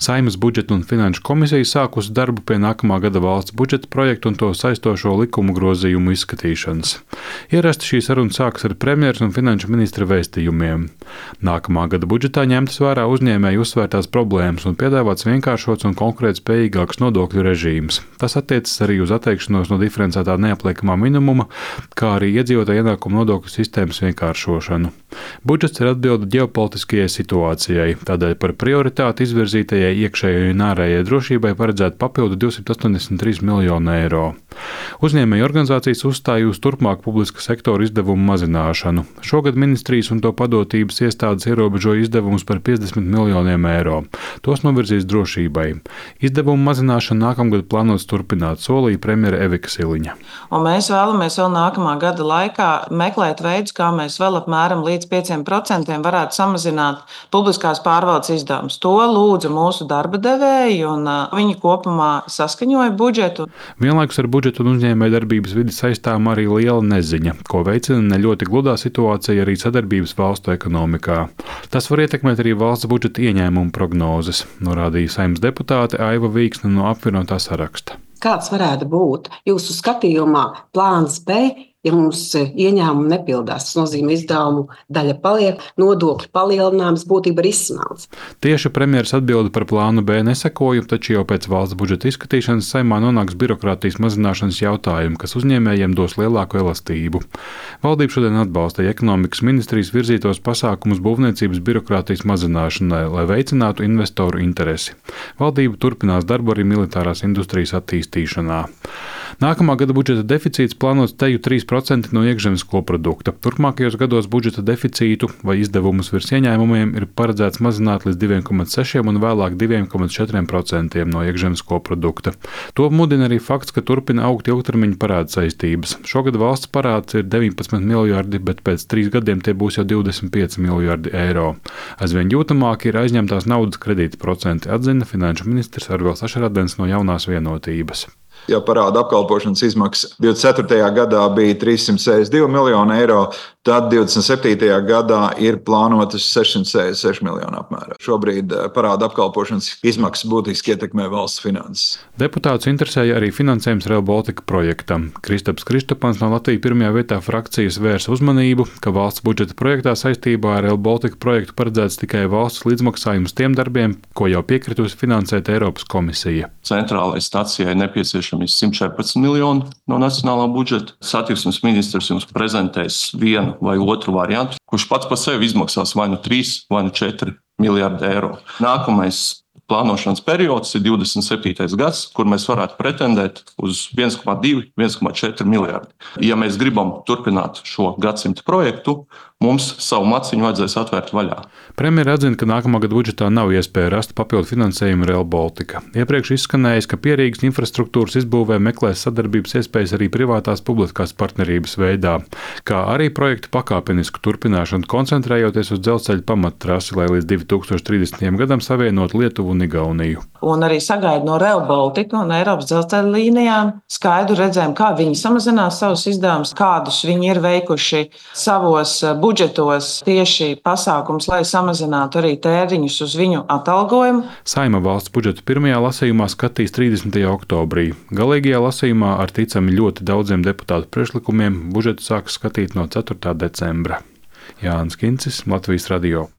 Saeimas budžeta un finanšu komisija sākusi darbu pie nākamā gada valsts budžeta projekta un to saistošo likumu grozījumu izskatīšanas. Ierasti šī saruna sākas ar premjeras un finanšu ministra vēstījumiem. Nākamā gada budžetā ņemtas vērā uzņēmēju uzsvērtās problēmas un piedāvāts vienkāršots un konkurētspējīgāks nodokļu režīms. Tas attiecas arī uz atteikšanos no diferencētā neapliekamā minimuma, kā arī iedzīvotāju ienākumu nodokļu sistēmas vienkāršošanu. Budžets ir atbilde ģeopolitiskajai situācijai, tādēļ par prioritāti izvirzītajai iekšējai un ārējai drošībai paredzēt papildu 283 miljonu eiro. Uzņēmēju organizācijas uzstāja uz turpmāku publiska sektora izdevumu mazināšanu. Šogad ministrijas un to padotības iestādes ierobežoja izdevumus par 50 miljoniem eiro. Tos novirzīs drošībai. Izdevumu mazināšanu nākamgad plānots turpināt, solīja premjere Evika Siliņa. Un mēs vēlamies vēl nākamā gada laikā meklēt veidus, kā mēs vēl apmēram līdz 5% varētu samazināt publiskās pārvaldes izdevumus. To lūdza mūsu darba devēji, un viņi kopumā saskaņoja budžetu. Vienlaikus ar budžetu un uzņēmēju darbības vidi saistām arī liela neziņa, ko veicina ne ļoti gludā situācija arī sadarbības valstu ekonomikā. Tas var ietekmēt arī valsts budžeta ieņēmumu prognozes, norādīja Saeimas deputāte Aiva Vīksne no apvienotā saraksta. Kāds varētu būt jūsu skatījumā plāns B, ja mums ieņēmumi nepildās? Tas nozīmē, izdevumu daļa paliek, nodokļu palielinājums būtībā ir izsmelts. Tieši premjeras atbilde par plānu B nesekoju, taču jau pēc valsts budžeta izskatīšanas Saeimā nonāks birokrātijas mazināšanas jautājumi, kas uzņēmējiem dos lielāku elastību. Valdība šodien atbalstīja ekonomikas ministrijas virzītos pasākumus būvniecības birokrātijas mazināšanai, lai veicinātu investoru interesi. Valdība turpinās darbu arī militārās industrijas attīstīšanā. Nākamā gada budžeta deficīts plānots teju 3% no iekšzemes koprodukta. Turpmākajos gados budžeta deficītu vai izdevumus virs ieņēmumiem ir paredzēts mazināt līdz 2,6% un vēlāk 2,4% no iekšzemes koprodukta. To mudina arī fakts, ka turpina augt ilgtermiņa parāda saistības. Šogad valsts parāds ir 19 miljardi, bet pēc 3 gadiem tie būs jau 25 miljardi eiro. Aizvien jūtamāk ir aizņemtās naudas kredīta procenti, atzina finanšu ministrs Arvils Ašarādens no Jaunās vienotības. Ja parāda apkalpošanas izmaksas 24. gadā bija 362 miljoni eiro, tad 27. gadā ir plānotas 666 miljoni apmērā. Šobrīd parāda apkalpošanas izmaksas būtiski ietekmē valsts finanses. Deputātus interesēja arī finansējums Rail Baltica projektam. Kristaps Kristopans no Latvijas pirmajā vietā frakcijas vērsa uzmanību, ka valsts budžeta projektā saistībā ar Rail Baltica projektu paredzēts tikai valsts līdzmaksājums tiem darbiem, ko jau piekritusi finansēt Eiropas komisija. Centrālajai stacijai nepieciešami 114 miljoni no nacionālā budžeta. Satiksmes ministrs jums prezentēs vienu vai otru variantu, kurš pats par sevi izmaksās vai nu 3 vai nu 4 miljardi eiro. Nākamais plānošanas periods ir 27. gads, kur mēs varētu pretendēt uz 1,2–1,4 miljardi. Ja mēs gribam turpināt šo gadsimta projektu, mums savu maciņu vajadzēs atvērt vaļā. Premjera atzina, ka nākamā gada budžetā nav iespēja rast papildu finansējumu Rail Baltica. Iepriekš izskanējis, ka Pierīgas infrastruktūras izbūvē meklēs sadarbības iespējas arī privātās publiskās partnerības veidā, kā arī projektu pakāpenisku turpināšanu, koncentrējoties uz dzelzceļa pamattrasi, lai līdz 2030. gadam savienot Lietuvu un Igauniju. Un arī sagaida no Rail Baltica un Eiropas dzelzceļa līnijām skaidru redzējumu, kā viņi samazinās savus izdevumus, kādus viņi ir veikuši savos budžetos tieši pasākums, lai samazinātu arī tēriņus uz viņu atalgojumu. Saeima valsts budžetu pirmajā lasījumā skatīs 30. oktobrī. Galīgajā lasījumā ar ticami ļoti daudziem deputātu priekšlikumiem budžetu sāks skatīt no 4. decembra. Jānis Kincis, Latvijas radio.